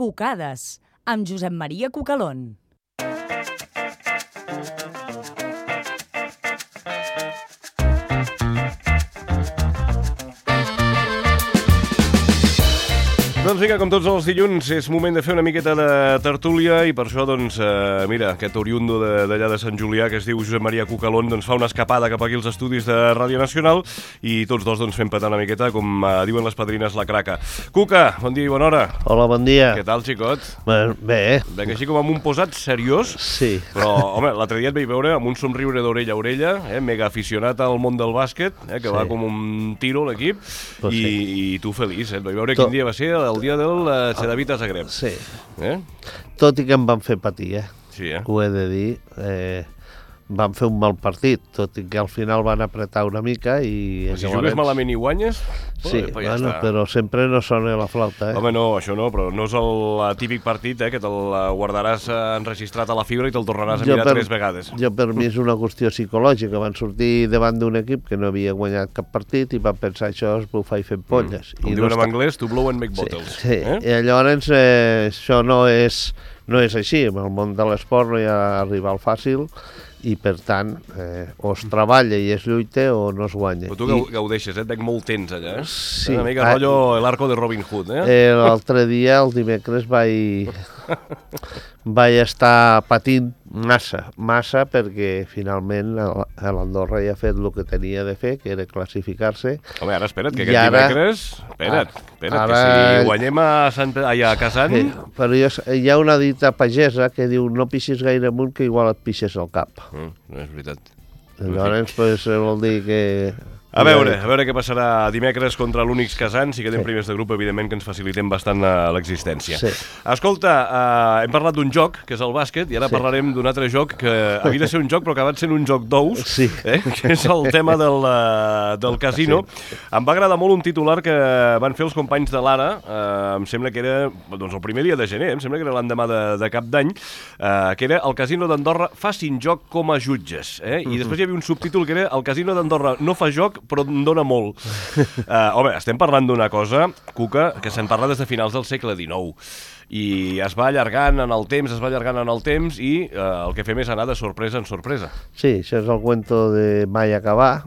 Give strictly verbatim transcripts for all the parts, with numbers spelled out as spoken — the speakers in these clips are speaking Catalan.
Cucades, amb Josep Maria Cucalón. Doncs vinga, com tots els dilluns, és moment de fer una miqueta de tertúlia i per això, doncs, eh, mira, aquest oriundo d'allà de, de Sant Julià que es diu Josep Maria Cucalón, doncs fa una escapada cap aquí als estudis de Ràdio Nacional i tots dos doncs fem petar una miqueta, com eh, diuen les padrines, la craca. Cuca, bon dia i bona hora. Hola, bon dia. Què tal, xicot? Bé, bé. Veig així com amb un posat seriós. Sí. Però, home, l'altre dia et vaig veure amb un somriure d'orella a orella, eh, mega aficionat al món del bàsquet, eh, que sí. Va com un tiro l'equip, pues i, sí. i tu feliç, eh? Et vaig veure Tot... quin dia va ser el dia del uh, Cedevita Zagreb. Sí. Eh? Tot i que em van fer patir, eh? Sí, eh? Ho he de dir. Eh, van fer un mal partit, tot i que al final van apretar una mica i... Però si llavors... jugues malament i guanyes... Sí, oh, ja bueno, està. Però sempre no sona la flauta, eh? Home, no, això no, però no és el típic partit, eh, que te'l guardaràs enregistrat a la fibra i te'l tornaràs a jo mirar per, tres vegades. Jo, per mi, és una qüestió psicològica. Van sortir davant d'un equip que no havia guanyat cap partit i van pensar això es bufar i fent polles. Mm. Com I diuen no en està... anglès, to blow and make bottles. Sí, sí. Eh? I llavors eh, això no és, no és així. En el món de l'esport no hi ha rival fàcil i, per tant, eh, o es treballa i es lluita o no es guanya. Però tu I... gaudeixes, eh? Et veig molt tens allà, eh? Sí. Una mica rotllo l'arco de Robin Hood, eh? eh L'altre dia, el dimecres, vaig, vaig estar patint massa, massa, perquè finalment l'Andorra ja ha fet el que tenia de fer, que era classificar-se. Home, ara espera't, que aquest ara... dimecres... Espera't, espera't, ara... que si guanyem a, Sant... allà a Kazan... Sí, però jo, hi ha una dita pagesa que diu no pixis gaire amunt que igual et pixes al cap. Mm, no és veritat. Llavors, pues, vol dir que... A veure, a veure què passarà dimecres contra l'Únix Kazan. Si quedem sí. primers de grup, evidentment que ens facilitem bastant l'existència. Sí. Escolta, uh, hem parlat d'un joc, que és el bàsquet, i ara sí. parlarem d'un altre joc que havia de ser un joc, però que va ser un joc d'ous, sí. eh? Que és el tema del, uh, del casino. Sí. Em va agradar molt un titular que van fer els companys de l'Ara, uh, em sembla que era doncs, el primer dia de gener, em sembla que era l'endemà de, de cap d'any, uh, que era el Casino d'Andorra facin joc com a jutges. Eh? I uh-huh. després hi havia un subtítol que era el Casino d'Andorra no fa joc, però em dona molt. Uh, home, estem parlant d'una cosa, Cuca, que se'n parla des de finals del segle dinou. I es va allargant en el temps, es va allargant en el temps i uh, el que fem és anar de sorpresa en sorpresa. Sí, això és el cuento de mai acabar,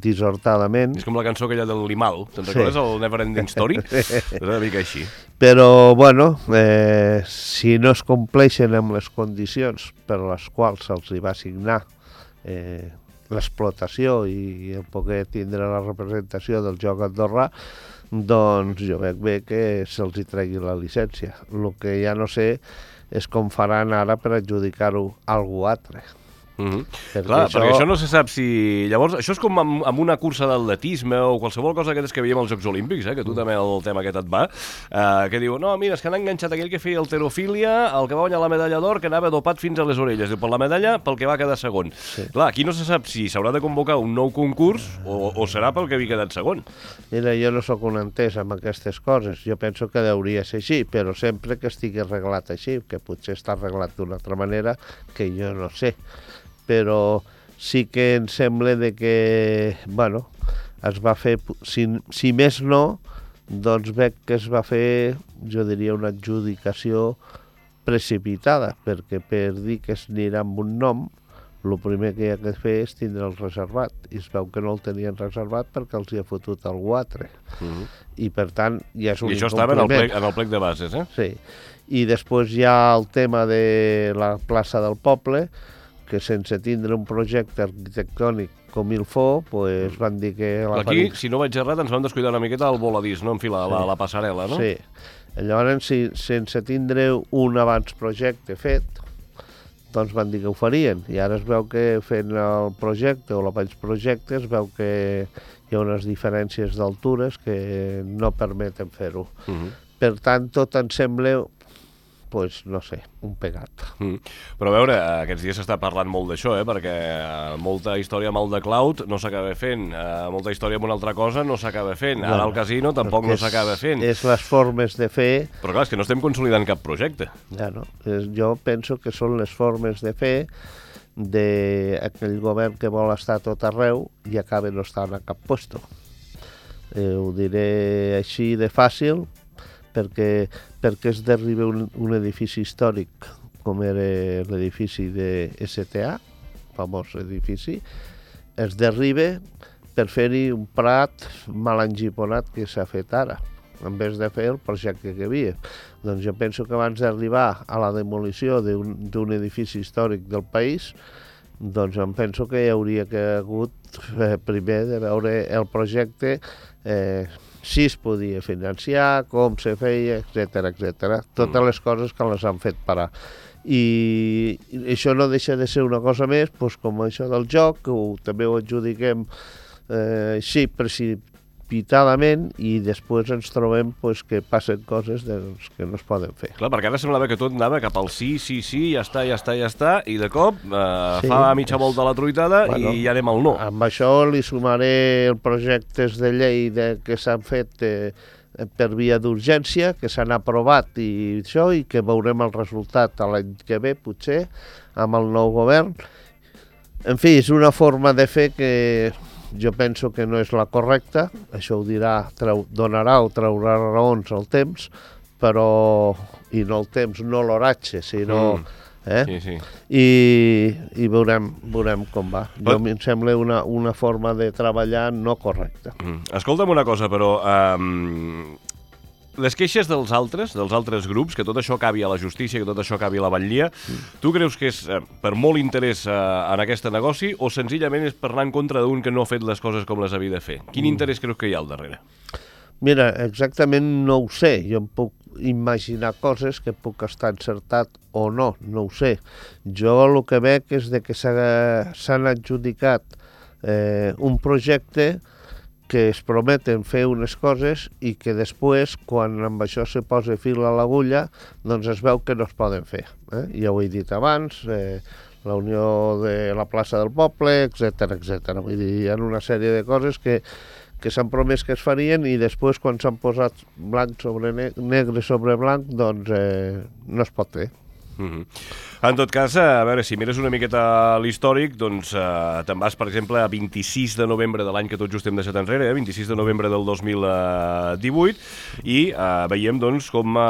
dissortadament. És com la cançó aquella del Limal, te'n recordes, sí. el Never Ending Story? És una mica així. Però, bueno, eh, si no es compleixen amb les condicions per les quals se'ls hi va assignar eh, l'explotació i el poder tindre la representació del joc andorrà, doncs jo veig bé que se'ls hi tregui la llicència. El que ja no sé és com faran ara per adjudicar-ho a algú altre. Mm-hmm. Perquè Clar, això... perquè això no se sap si... Llavors, això és com amb, amb una cursa d'atletisme o qualsevol cosa d'aquestes que veiem als Jocs Olímpics, eh, que tu també el tema aquest et va, eh, que diu, no, mira, és que han enganxat aquell que feia alterofília, el que va guanyar la medalla d'or, que anava dopat fins a les orelles. Diu, per la medalla, pel que va quedar segon. Sí. Clar, aquí no se sap si s'haurà de convocar un nou concurs o, o serà pel que havia quedat segon. Mira, jo no sóc un entès amb aquestes coses. Jo penso que hauria ser així, però sempre que estigui arreglat així, que potser està arreglat d'una altra manera que jo no sé. Però sí que em sembla de que, bueno, es va fer, si, si més no, doncs veig que es va fer, jo diria, una adjudicació precipitada, perquè per dir que es anirà amb un nom, el primer que hi ha de fer és tindre'l reservat, i es veu que no el tenien reservat perquè els hi ha fotut algú altre. Uh-huh. I per tant, ja és un I això estava en el, plec, en el plec de bases, eh? Sí. I després hi ha el tema de la plaça del poble, que sense tindre un projecte arquitectònic com il fo, pues van dir que... La Aquí, si no vaig errat, ens vam descuidar una miqueta el voladís, no? En fi, la, sí. la, la passarel·la, no? Sí. Llavors, si, sense tindre un abans projecte fet, doncs van dir que ho farien. I ara es veu que fent el projecte o l'abans projecte es veu que hi ha unes diferències d'altures que no permeten fer-ho. Uh-huh. Per tant, tot em sembla... pues, no sé, un pegat. Mm. Però a veure, aquests dies s'està parlant molt d'això, eh? Perquè molta història amb el de Cloud no s'acaba fent, eh, molta història amb una altra cosa no s'acaba fent, ara el casino tampoc no s'acaba fent. És les formes de fer... Però clar, és que no estem consolidant cap projecte. Ja no, jo penso que són les formes de fer d'aquell govern que vol estar a tot arreu i acaba no estant a cap puesto. Eh, ho diré així de fàcil, perquè, perquè es derriba un, un edifici històric com era l'edifici de S T A, famós edifici, es derriba per fer-hi un prat mal engiponat que s'ha fet ara, en vez de fer el projecte que hi havia. Doncs jo penso que abans d'arribar a la demolició d'un edifici històric del país, doncs em penso que hi hauria que hagut eh, primer de veure el projecte, eh, si es podia financiar, com se feia, etcètera, etcètera. Totes les coses que les han fet parar. I això no deixa de ser una cosa més, doncs, com això del joc, que ho, també ho adjudiquem eh, així precipitadament, i després ens trobem pues, que passen coses doncs, que no es poden fer. Clar, perquè ara semblava que tot anava cap al sí, sí, sí, ja està, ja està, ja està, i de cop eh, sí, fa mitja volta la truitada bueno, i ja anem al no. Amb això li sumaré els projectes de llei de, que s'han fet eh, per via d'urgència, que s'han aprovat i això, i que veurem el resultat l'any que ve, potser, amb el nou govern. En fi, és una forma de fer que jo penso que no és la correcta, això ho dirà, treu, donarà o traurà raons al temps, però, i no el temps, no l'oratge, sinó... Mm. Eh? Sí, sí. I, i veurem, veurem com va. Jo em sembla una, una forma de treballar no correcta. Mm. Escolta'm una cosa, però... Um, les queixes dels altres, dels altres grups, que tot això acabi a la justícia, que tot això acabi a la batllia, mm. tu creus que és eh, per molt interès eh, en aquest negoci o senzillament és per anar en contra d'un que no ha fet les coses com les havia de fer? Quin mm. interès creus que hi ha al darrere? Mira, exactament no ho sé. Jo em puc imaginar coses que puc estar encertat o no, no ho sé. Jo el que veig és de que s'han adjudicat eh, un projecte que es prometen fer unes coses i que després, quan amb això se posa fil a l'agulla, doncs es veu que no es poden fer. Eh? Ja ho he dit abans, eh, la unió de la plaça del poble, etcètera, etcètera. Vull dir, hi ha una sèrie de coses que que s'han promès que es farien i després, quan s'han posat blanc sobre ne negre sobre blanc, doncs eh, no es pot fer. Mm-hmm. En tot cas, a veure, si mires una miqueta l'històric, doncs eh, te'n vas, per exemple, a vint-i-sis de novembre de l'any que tot just hem deixat enrere, eh, vint-i-sis de novembre del dos mil divuit, i eh, veiem, doncs, com eh,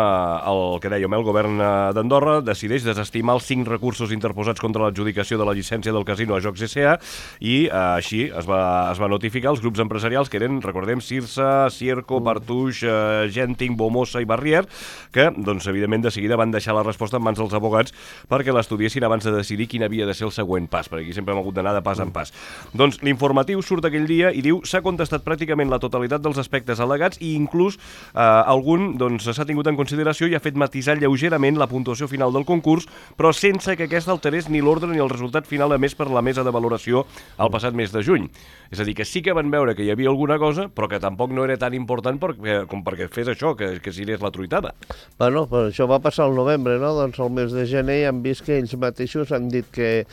el que dèiem, el govern d'Andorra decideix desestimar els cinc recursos interposats contra l'adjudicació de la llicència del casino a Jocs S A, i eh, així es va, es va notificar als grups empresarials que eren, recordem, Cirsa, Cierco, Partouche, eh, Genting, Bomosa i Barrier, que, doncs, evidentment, de seguida van deixar la resposta en mans dels abogats perquè l'estudiessin abans de decidir quin havia de ser el següent pas, perquè aquí sempre hem hagut d'anar de pas en pas. Doncs l'informatiu surt aquell dia i diu s'ha contestat pràcticament la totalitat dels aspectes al·legats i inclús eh, algun doncs, s'ha tingut en consideració i ha fet matisar lleugerament la puntuació final del concurs, però sense que aquesta alterés ni l'ordre ni el resultat final emès per la mesa de valoració el passat mes de juny. És a dir, que sí que van veure que hi havia alguna cosa, però que tampoc no era tan important perquè, com perquè fes això, que, que s'irés la truitada. Bueno, però això va passar al novembre, no? Doncs al mes de gener hem vist que ells mateixos han dit que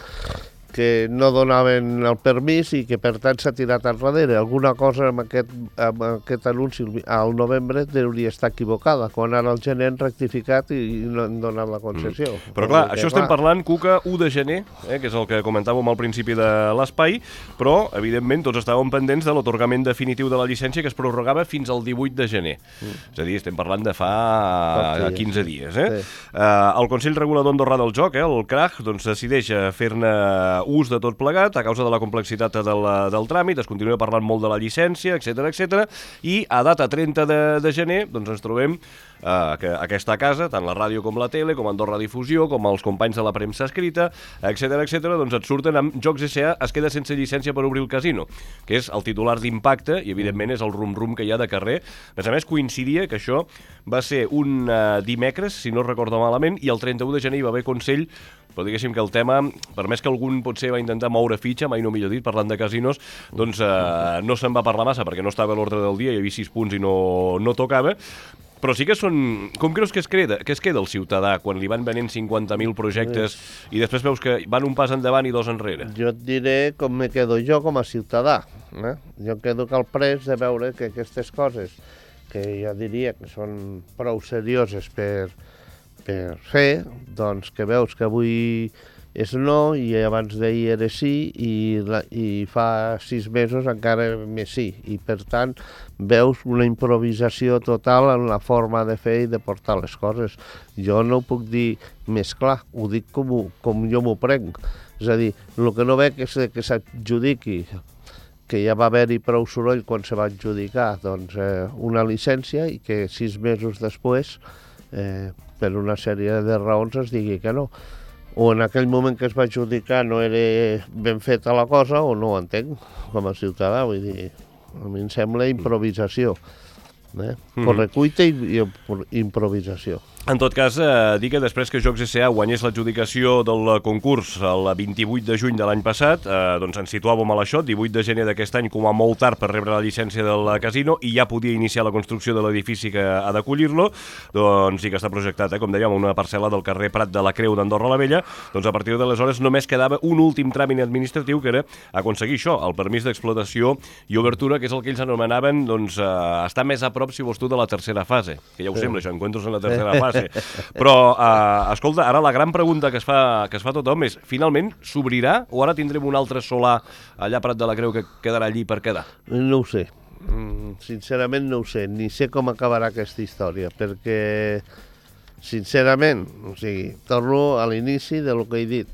que no donaven el permís i que per tant s'ha tirat enrere. Alguna cosa amb aquest, amb aquest anunci al novembre hauria estar equivocada, quan ara el gener han rectificat i no han donat la concessió. Mm. Però clar, això estem parlant, Cuca, u de gener, eh, que és el que comentàvem al principi de l'espai, però evidentment tots estàvem pendents de l'atorgament definitiu de la llicència que es prorrogava fins al divuit de gener. Mm. És a dir, estem parlant de fa quinze dies. Eh? Sí. Uh, el Consell Regulador Andorrà del Joc, eh, el C R A G, doncs, decideix fer-ne ús de tot plegat a causa de la complexitat del, del tràmit, es continua parlant molt de la llicència, etcètera, etcètera, i a data trenta de, de gener doncs ens trobem eh, que aquesta casa, tant la ràdio com la tele, com Andorra Difusió, com els companys de la premsa escrita, etcètera, etcètera, doncs et surten amb Jocs S A es queda sense llicència per obrir el casino, que és el titular d'impacte i evidentment és el rum-rum que hi ha de carrer. A més a més, coincidia que això va ser un uh, dimecres, si no recordo malament, i el trenta-u de gener hi va haver Consell, però diguéssim que el tema, per més que algun potser va intentar moure fitxa, mai no millor dit, parlant de casinos, doncs eh, no se'n va parlar massa perquè no estava a l'ordre del dia, hi havia sis punts i no, no tocava, però sí que són... Com creus que es, queda, que es queda el ciutadà quan li van venent cinquanta mil projectes i després veus que van un pas endavant i dos enrere? Jo et diré com me quedo jo com a ciutadà. Eh? Jo em quedo calprès de veure que aquestes coses, que jo diria que són prou serioses per... per fer, doncs que veus que avui és no, i abans d'ahir era sí, i, la, i fa sis mesos encara més sí. I per tant veus una improvisació total en la forma de fer i de portar les coses. Jo no ho puc dir més clar, ho dic com, ho, com jo m'ho prenc. És a dir, el que no veig és que s'adjudiqui, que ja va haver-hi prou soroll quan se va adjudicar doncs, eh, una llicència i que sis mesos després, eh, per una sèrie de raons, es digui que no. O en aquell moment que es va adjudicar no era ben feta la cosa, o no ho entenc, com a ciutadà. Vull dir, a mi em sembla improvisació. Eh? Mm-hmm. Correcuita i, i improvisació. En tot cas, eh, dir que després que Jocs S A guanyés l'adjudicació del concurs el vint-i-vuit de juny de l'any passat, eh, doncs ens situàvem a l'això, divuit de gener d'aquest any, com a molt tard per rebre la llicència del casino, i ja podia iniciar la construcció de l'edifici que ha d'acollir-lo, doncs sí que està projectat, eh, com dèiem, una parcel·la del carrer Prat de la Creu d'Andorra la Vella. Doncs a partir d'aleshores només quedava un últim tràmit administratiu, que era aconseguir això, el permís d'explotació i obertura, que és el que ells anomenaven doncs, eh, estar més a prop, si vols tu, de la tercera fase, que ja ho sembla, això, encuentros en la tercera fase. Però, eh, escolta, ara la gran pregunta que es fa, que es fa tothom és, finalment s'obrirà o ara tindrem un altre solar allà a Prat de la Creu que quedarà allí per quedar? No ho sé, sincerament no ho sé, ni sé com acabarà aquesta història, perquè, sincerament, o sigui, torno a l'inici del que he dit.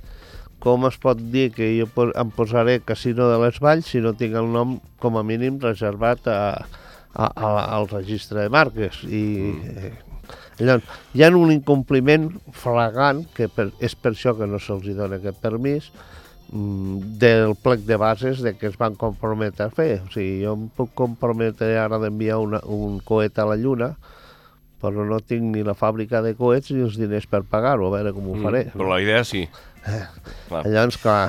Com es pot dir que jo em posaré Casino de les Valls si no tinc el nom, com a mínim, reservat a, a, a, al registre de marques? I... Mm. Llavors, hi ha un incompliment flagrant, que per, és per això que no se'ls dona aquest permís, del plec de bases de que es van comprometre a fer. O sigui, jo em puc comprometre ara d'enviar un coet a la Lluna, però no tinc ni la fàbrica de coets ni els diners per pagar-ho, a veure com ho faré. Mm, però la idea sí. Clar. Llavors, clar...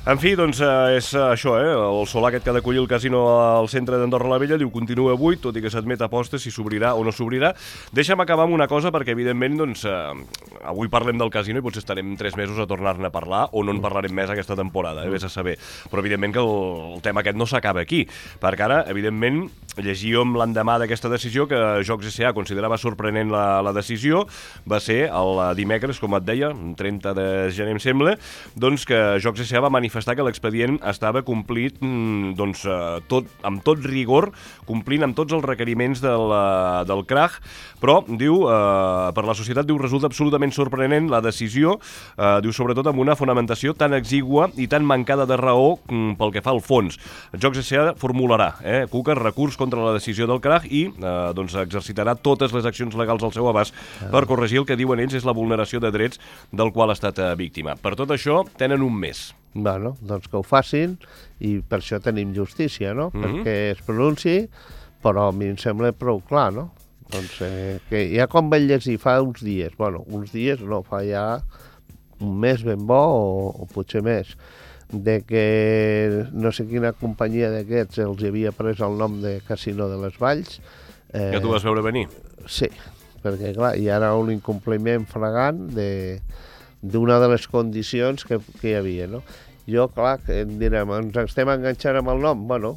En fi, doncs eh, és això, eh? El solar aquest que ha d'acollir el casino al centre d'Andorra la Vella diu continua buit, tot i que s'admet apostes si s'obrirà o no s'obrirà. Deixa'm acabar amb una cosa, perquè evidentment doncs, eh, avui parlem del casino i potser estarem tres mesos a tornar-ne a parlar o no en parlarem més aquesta temporada, eh? Vés a saber. Però evidentment que el, el tema aquest no s'acaba aquí, perquè ara, evidentment, llegíem l'endemà d'aquesta decisió que Jocs S A considerava sorprenent la, la decisió, va ser el dimecres, com et deia, trenta de gener em sembla, doncs que Jocs S A va manifestar que l'expedient estava complit doncs, tot, amb tot rigor, complint amb tots els requeriments del, del C R A G, però, diu, eh, per la societat, diu, resulta absolutament sorprenent la decisió, eh, diu, sobretot amb una fonamentació tan exigua i tan mancada de raó mm, pel que fa al fons. Jocs S A formularà, eh, Cuca, recurs contra la decisió del C R A G i eh, doncs, exercitarà totes les accions legals al seu abast per corregir el que diuen ells és la vulneració de drets del qual ha estat eh, víctima. Per tot això, tenen un mes. Bueno, doncs que ho facin, i per això tenim justícia, no? Mm-hmm. Perquè es pronunciï, però a mi em sembla prou clar, no? Doncs eh, que ja quan vaig llegir fa uns dies, bueno, uns dies no, fa ja un mes ben bo o, o potser més, de que no sé quina companyia d'aquests els havia pres el nom de Casino de les Valls. Eh, ja t'ho vas veure venir? Sí, perquè clar, hi ha un incompliment flagrant de... d'una de les condicions que, que hi havia, no? Jo, clar, que em direm, ens estem enganxant amb el nom? Bueno,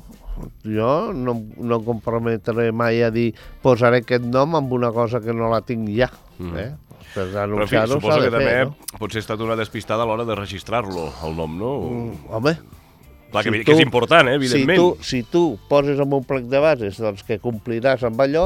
jo no, no em comprometré mai a dir posaré aquest nom amb una cosa que no la tinc ja, mm. eh? Per anunciar-ho s'ha de fer, també, no? Potser ha estat una despistada a l'hora de registrar-lo, el nom, no? Mm, home... Clar, que, si que tu, és important, eh, evidentment. Si tu, si tu poses en un plec de bases doncs, que compliràs amb allò,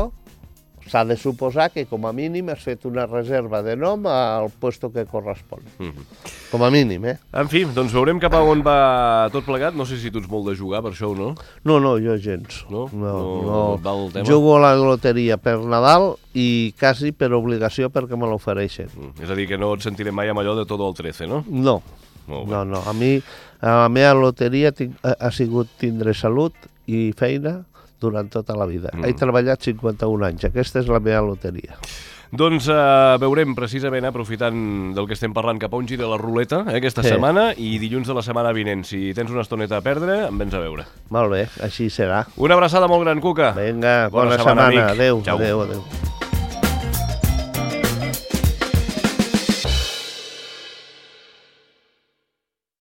s'ha de suposar que, com a mínim, has fet una reserva de nom al puesto que correspon. Mm-hmm. Com a mínim, eh? En fi, doncs veurem cap a on va tot plegat. No sé si tu ets molt de jugar per això o no. No, no, jo gens. No? No, no, no. Va el tema? Jugo a la loteria per Nadal i quasi per obligació perquè me l'ofereixen. Mm. És a dir, que no et sentirem mai amb allò de tot el trece, no? No. No, no. A mi, a la meva loteria tinc, ha, ha sigut tindre salut i feina durant tota la vida. Mm. He treballat cinquanta-un anys. Aquesta és la meva loteria. Doncs eh, veurem precisament, aprofitant del que estem parlant, cap a on gira la ruleta eh, aquesta sí. setmana, i dilluns de la setmana vinent. Si tens una estoneta a perdre, em vens a veure. Molt bé, així serà. Una abraçada molt gran, Cuca. Vinga, bona, bona setmana. setmana. Adéu, Ciao. adéu, adéu.